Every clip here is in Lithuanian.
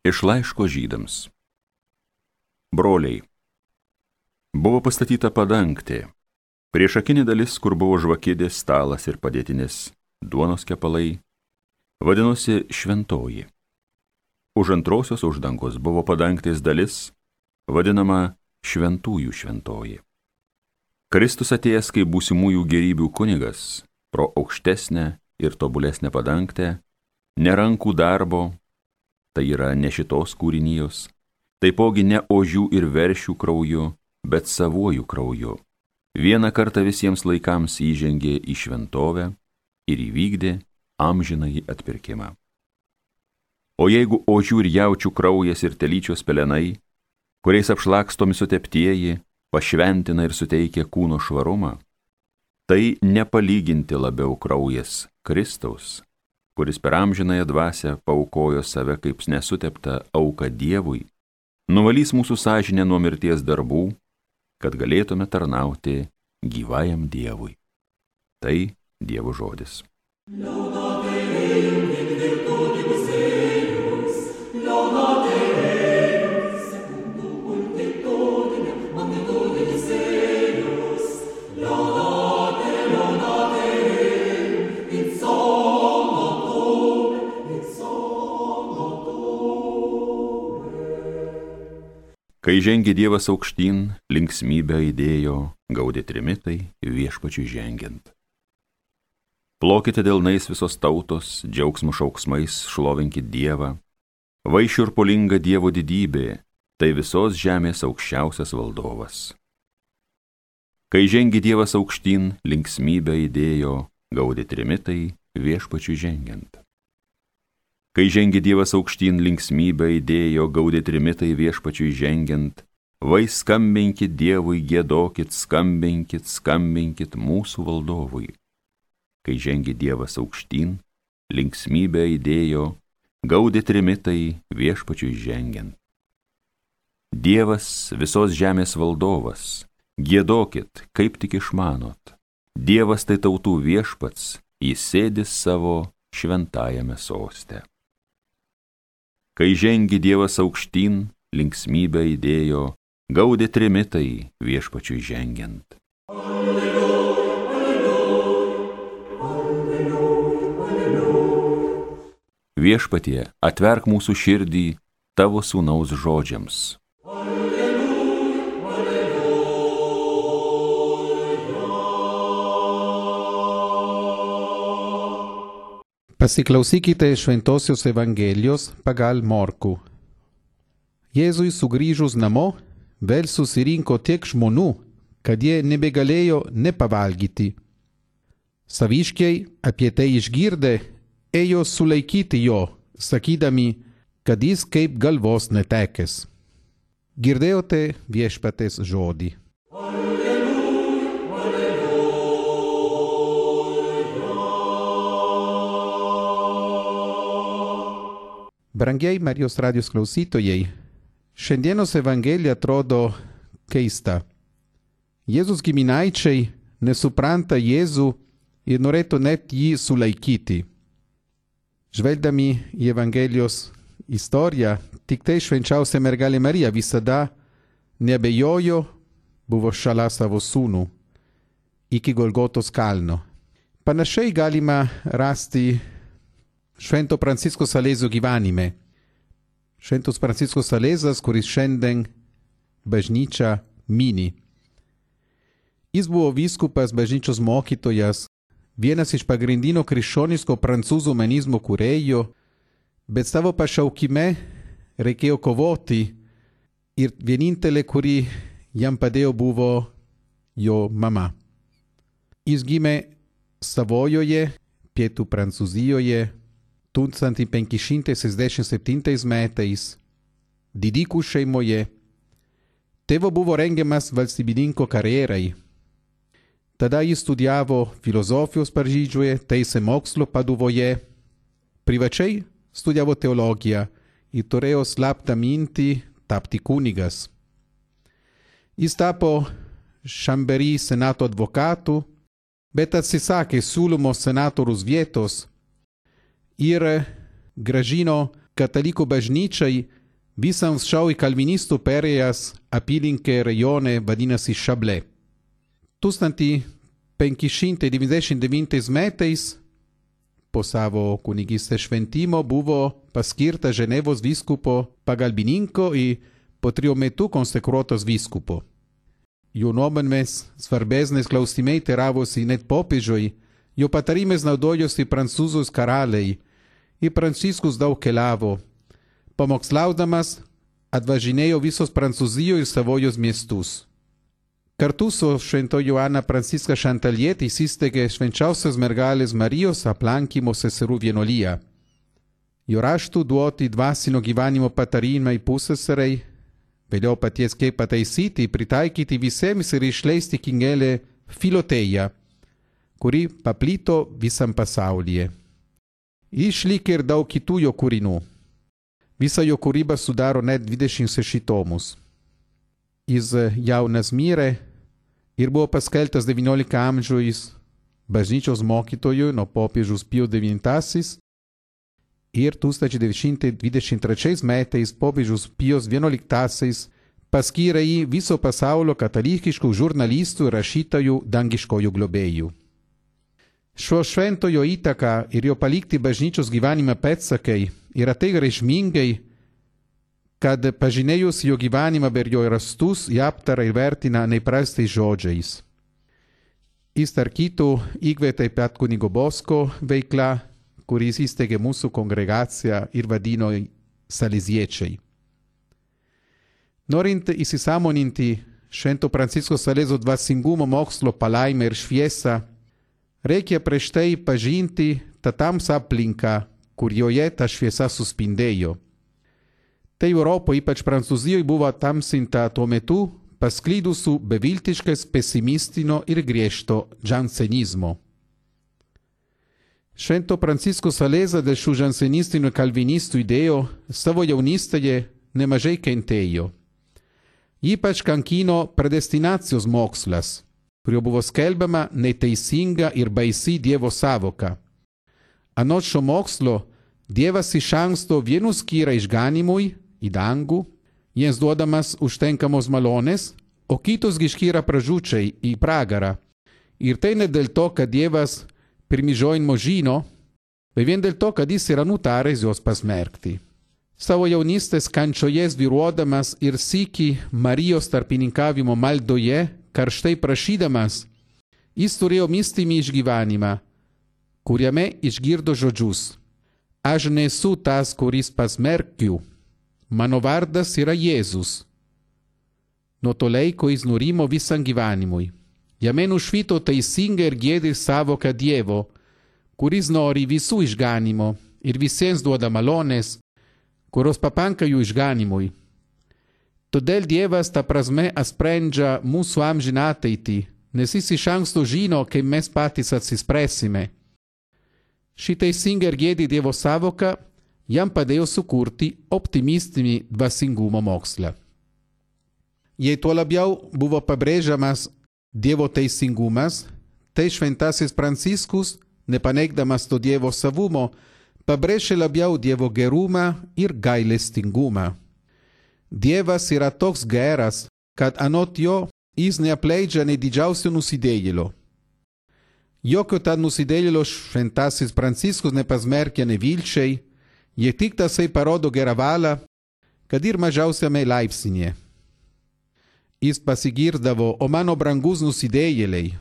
Iš laiško Žydams. Broliai, buvo pastatyta padangtė, priešakinė dalis, kur buvo žvakidės, stalas ir padėtinis duonos kepalai, vadinosi šventoji. Už antrosios uždangos buvo padangtės dalis, vadinama šventųjų šventoji. Kristus atėjęs kaip būsimųjų gerybių kunigas, pro aukštesnę ir tobulesnę padangtę, ne rankų darbo, tai yra ne šitos kūrinijos, taipogi ne ožių ir veršių krauju, bet savuoju krauju. Vieną kartą visiems laikams įžengė į šventovę ir įvykdė amžinąjį atpirkimą. O jeigu ožių ir jaučių kraujas ir telyčios pelenai, kuriais apšlakstomi suteptieji, pašventina ir suteikia kūno švarumą, tai nepalyginti labiau kraujas Kristaus, kuris per amžinąją dvasią paaukojo save kaip nesuteptą auką Dievui, nuvalys mūsų sąžinę nuo mirties darbų, kad galėtume tarnauti gyvajam Dievui. Tai Dievo žodis. Kai žengė Dievas aukštyn, linksmybę įdėjo, gaudė trimitai Viešpačiui žengiant. Plokite delnais visos tautos, džiaugsmo šauksmais šlovinkit Dievą. Vaišių ir polinga Dievo didybė, tai visos žemės aukščiausias valdovas. Kai žengė Dievas aukštyn, linksmybę įdėjo, gaudė trimitai Viešpačiui žengiant. Kai žengė Dievas aukštyn, linksmybę įdėjo, gaudė trimitai Viešpačiui žengiant, vai skambinkit Dievui, giedokit, skambinkit, skambinkit mūsų valdovui. Kai žengė Dievas aukštyn, linksmybę įdėjo, gaudė trimitai Viešpačiui žengiant. Dievas visos žemės valdovas, giedokit, kaip tik išmanot. Dievas tai tautų viešpats, jis sėdi savo šventajame soste. Kai žengė Dievas aukštyn, linksmybę įdėjo, gaudė trimitai Viešpačiui žengiant. Alleluja, alleluja, alleluja, alleluja. Viešpatie, atverk mūsų širdį tavo sūnaus žodžiams. Pasiklausykite Šventosios Evangelijos pagal Morkų. Jėzui sugrįžus namo, vėl susirinko tiek žmonių, kad jie nebegalėjo nepavalgyti. Saviškiai apie tai išgirdę, ėjo sulaikyti jo, sakydami, kad jis kaip galvos netekęs. Girdėjote Viešpaties žodį. Brangiai Marijos radijos klausytojai, šiandienos Evangelija atrodo keista. Jėzus giminaičiai nesupranta Jėzų ir norėtų net jį sulaikyti. Žvelgdami į Evangelijos istoriją, tik tai švenčiausia mergelė Marija visada neabejojo, buvo šalia savo sūnų iki Golgotos kalno. Panašiai galima rasti Švento Pranciško Salezio gyvenime. Šventas Pranciškus Salezas, kuris šiandien bažnyčia mini. Jis buvo vyskupas, bažnyčios mokytojas, vienas iš pagrindinio krikščioniško prancūzų humanizmo kūrėjų, bet savo pašaukime reikėjo kovoti ir vienintelė, kuri jam padėjo, buvo jo mama. Jis gimė Savojoje, pietų Prancūzijoje, 1567 metais, didikų šeimoje. Tėvo buvo rengiamas valstybininko karjerai. Tada jis studijavo filosofijos Paryžiuje, teisę mokslo Paduvoje, privačiai studijavo teologiją ir turėjo slaptą mintį tapti kunigas. Jis tapo Chambéry senato advokatu, bet atsisakė siūlomo senatoriaus vietos ir grąžino kataliko bažnyčiai visam šiaui kalvinistų perėjęs apylinkė rajone vadinasi Chablais. 1599 metais po savo kunigystės šventimo buvo paskirta Ženevos vyskupo pagalbininko ir po 3 metų konsekruotas vyskupo. Jo nuomonės svarbesnės klausimai teravosi net popiežiui, jo patarimais naudojosi prancūzus karaliai ir Pranciškus daug keliavo. Pamokslaudamas atvažinėjo visos Prancūzijos ir Savojos miestus. Kartu su Švento Joana Pranciška Šantalietė įsisteigė Švenčiausios mergelės Marijos aplankymo seserų vienuolija. Jo raštų duoti dvasinio gyvenimo patarimai pusseserei, vėliau paties kaip pataisyti, pritaikyti visiems ir išleisti knygelę Filoteja, kuri paplito visam pasaulyje. Išlikė ir daug kitų jo kūrinių. Visa jo kūryba sudaro net 26 tomus. Jis jaunas mirė ir buvo paskelbtas 19 amžiaus bažnyčios mokytoju nuo popiežiaus Pijus IX ir 1923 metais popiežius Pijus XI paskyrė jį viso pasaulio katalikiškų žurnalistų ir rašytojų dangiškojų globėjų. Šio šventojo įtaka ir jo palikti bažnyčios gyvenime pėdsakai yra tai reikšmingai, kad pažinėjus jo gyvenimą per jo rastus, jį aptara ir vertina neįprastais žodžiais. Jis tarp kitų įkvėpė pat kunigo Bosko veiklą, kuris įsteigė mūsų kongregaciją ir vadino saleziečiai. Norint įsisąmoninti Švento Pranciško Salezo dvasingumo mokslo palaimę ir šviesą, reikia prieš tai pažinti tą tamsą aplinką, kur joje ta šviesa suspindėjo. Tai Europoje, ypač Prancūzijoje, buvo tamsinta tuo metu pasklidusių beviltiškas pesimistinio ir griežto džansenizmo. Švento Pranciško Saleza dėl šių džansenistinių kalvinistų idėjų savo jaunystėje nemažai kentėjo. Ypač kankino predestinacijos mokslas, kurio buvo skelbiama neteisinga ir baisi Dievo sąvoka. Anot šio mokslo, Dievas iš anksto vienus skiria išganimui į dangų, jiems duodamas užtenkamos malonės, o kitus skiria pražūčiai į pragarą. Ir tai ne dėl to, kad Dievas pirmižojimo žino, bet vien dėl to, kad jis yra nutaręs juos pasmerkti. Savo jaunystės kančioje svyruodamas ir sykį Marijos tarpininkavimo maldoje, karštai prašydamas, jis turėjo mistinį išgyvenimą, kuriame išgirdo žodžius: Aš nesu tas, kuris pasmerkiu, mano vardas yra Jėzus. Nuo to laiko jis nurimo visam gyvenimui. Jame nušvito teisinga ir giedri sąvoka Dievo, kuris nori visų išganimo ir visiems duoda malonės, kurios papanka jų išganimui. Todėl Dievas ta prasme sprendžia mūsų amžiną ateitį, nes jis iš anksto žino, kaip mes patys atsispręsime. Ši teisinga ir giedri Dievo sąvoka jam padėjo sukurti optimistinį dvasingumo mokslą. Jei tuo labiau buvo pabrėžiamas Dievo teisingumas, tai Šventasis Pranciškus, nepaneigdamas to Dievo savumo, pabrėžė labiau Dievo gerumą ir gailestingumą. Dievas yra toks geras, kad anot jo jis neapleidžia nei didžiausio nusidėjėlio. Jokio tad nusidėjėlio Šventasis Pranciškus nepasmerkia nevilčiai, jie tik tasai parodo gerą valią, kad ir mažiausiame laipsnyje. Jis pasigirdavo: O mano brangus nusidėjėliai.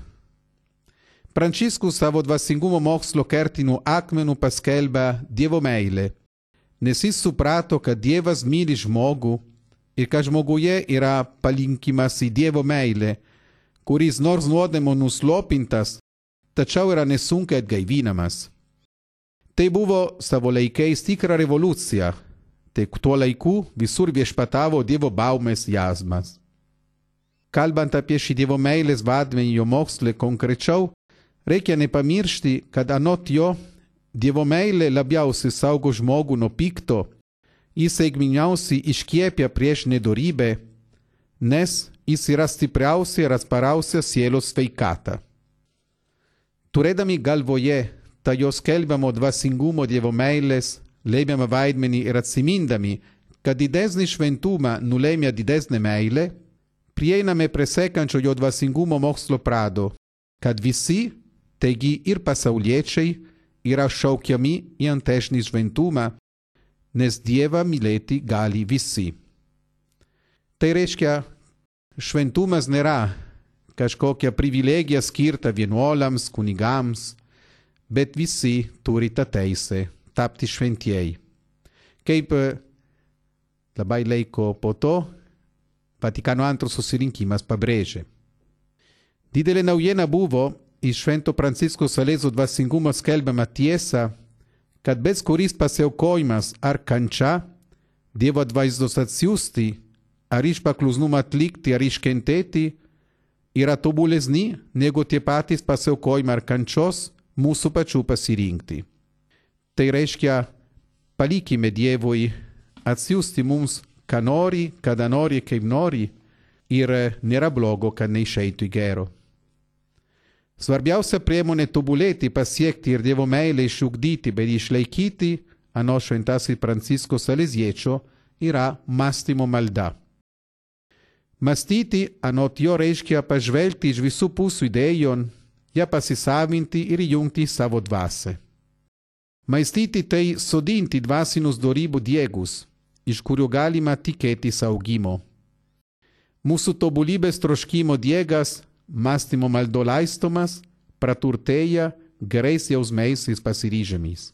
Pranciškus savo dvasingumo mokslo kertiniu akmeniu paskelbia Dievo meilę, nes jis suprato, kad Dievas myli žmogų ir kad žmoguje yra palinkimas į Dievo meilę, kuris nors nuodėmų nuslopintas, tačiau yra nesunkiai atgaivinamas. Tai buvo savo laikais tikra revoliucija, tai tuo laiku visur viešpatavo Dievo baimės jausmas. Kalbant apie šį Dievo meilės vaidmenį jo moksle konkrečiau, reikia nepamiršti, kad anot jo Dievo meilė labiausiai saugo žmogų nuo pikto, jis sėkmingiausiai iškiepia prieš nedorybę, nes jis yra stipriausia ir atspariausia sielos sveikata. Turėdami galvoje tą jo skelbiamo dvasingumo Dievo meilės, lėmėme vaidmenį ir atsimindami, kad didesnį šventumą nulėmė didesnė meilė, prieiname prie sekančio jo dvasingumo mokslo prado, kad visi, taigi ir pasauliečiai, yra šaukiami į antesnį šventumą, nes Dievą mylėti gali visi. Tai reiškia, šventumas nėra kažkokia privilegija skirta vienuoliams, kunigams, bet visi turi tą teisę tapti šventieji. Kaip labai laiko po to Vatikano II susirinkimas pabrėžė. Didelė naujiena buvo iš Švento Pranciško Salezo dvasingumo skelbiama tiesa, kad bet kuris pasiaukojimas ar kančia Dievo atvaizdos atsiųsti, ar iš paklusnumo atlikti, ar iškentėti, yra tobulesni negu tie patys pasiaukojimai ar kančios mūsų pačių pasirinkti. Tai reiškia, palikime Dievui atsiųsti mums, ką nori, kada nori, kaip nori, ir nėra blogo, kad neišeitų į gero. Svarbiausia priemonė tobulėti, pasiekti ir Dievo meilę išugdyti, bet išlaikyti, anot Šventasis Pranciško Saleziečio, yra mąstymo malda. Mąstyti, anot jo, reiškia pažvelgti iš visų pusių idėjon, ją pasisavinti ir įjungti savo dvasią. Mąstyti tai sodinti dvasinius dorybų diegus, iš kurių galima tikėtis augimo. Mūsų tobulybės troškimo diegas, mąstymo maldo laistomas, praturtėja gerais jausmais ir pasiryžimais.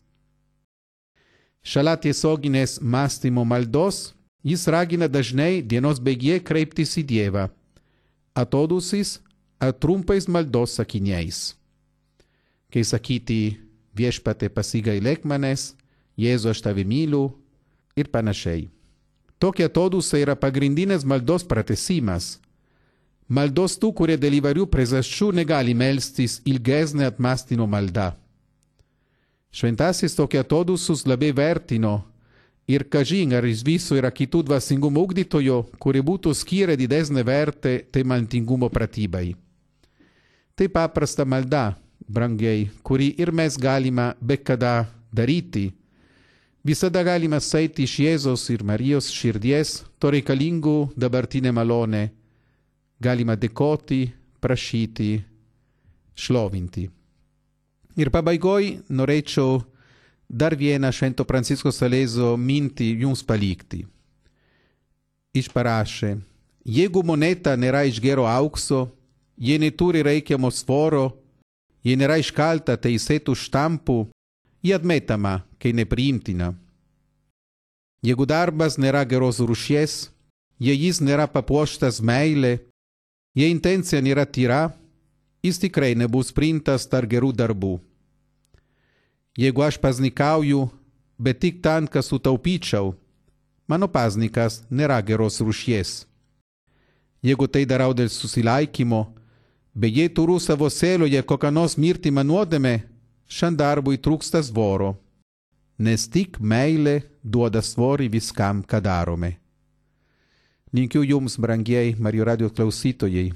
Šalia tiesioginės mąstymo maldos, jis ragina dažnai dienos bėgyje kreiptis į Dievą, atodūsis ar trumpais maldos sakiniais. Kai sakyti, Viešpatie pasigailėk manęs, Jėzu aš tave myliu ir panašiai. Tokie atodūsiai yra pagrindinės maldos pratęsimas. Maldos tų, kurie dėl įvairių priežasčių negali melstis ilgesnė apmąstymo malda. Šventasis tokie atodūsius labai vertino ir kažin ar iš viso yra kitų dvasingumo ugdytojo, kurie būtų skyrę didesnę vertę tai maltingumo pratybai. Tai paprasta malda, brangiai, kuri ir mes galime bet kada daryti. Visada galime sėti iš Jėzos ir Marijos širdies to reikalingų dabartinę malonę. Galima dėkoti, prašyti, šlovinti. Ir pabaigoj norėčiau dar vieną Švento Pranciško Salezo mintį jums palikti. Išparašė, jeigu moneta nėra iš gero aukso, jei neturi reikiamo svoro, jei nėra iškalta teisėtų štampų, ji atmetama, kai nepriimtina. Jeigu darbas nėra geros rūšies, jei jis nėra papuoštas meilė, jei intencija nėra tyra, jis tikrai nebus priimtas tarp gerų darbų. Jeigu aš pasnikauju, bet tik tam, kad sutaupyčiau, mano pasnikas nėra geros rūšies. Jeigu tai darau dėl susilaikymo, bet jei turiu savo sieloje kokią nors mirtimą nuodėmę, šiam darbui trūksta svoro, nes tik meilė duoda svorį viskam, ką darome. Linkiu jums, brangieji Marijos radijos klausytojai,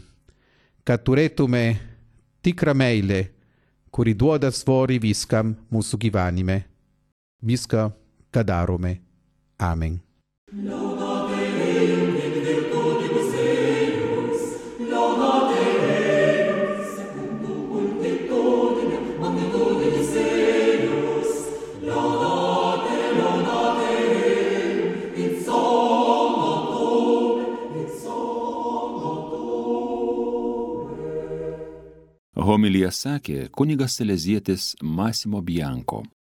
kad turėtume tikrą meilę, kuri duoda svorį viskam mūsų gyvenime. Viską, ką darome. Amen. Homiliją sakė kunigas salezietis Massimo Bianco.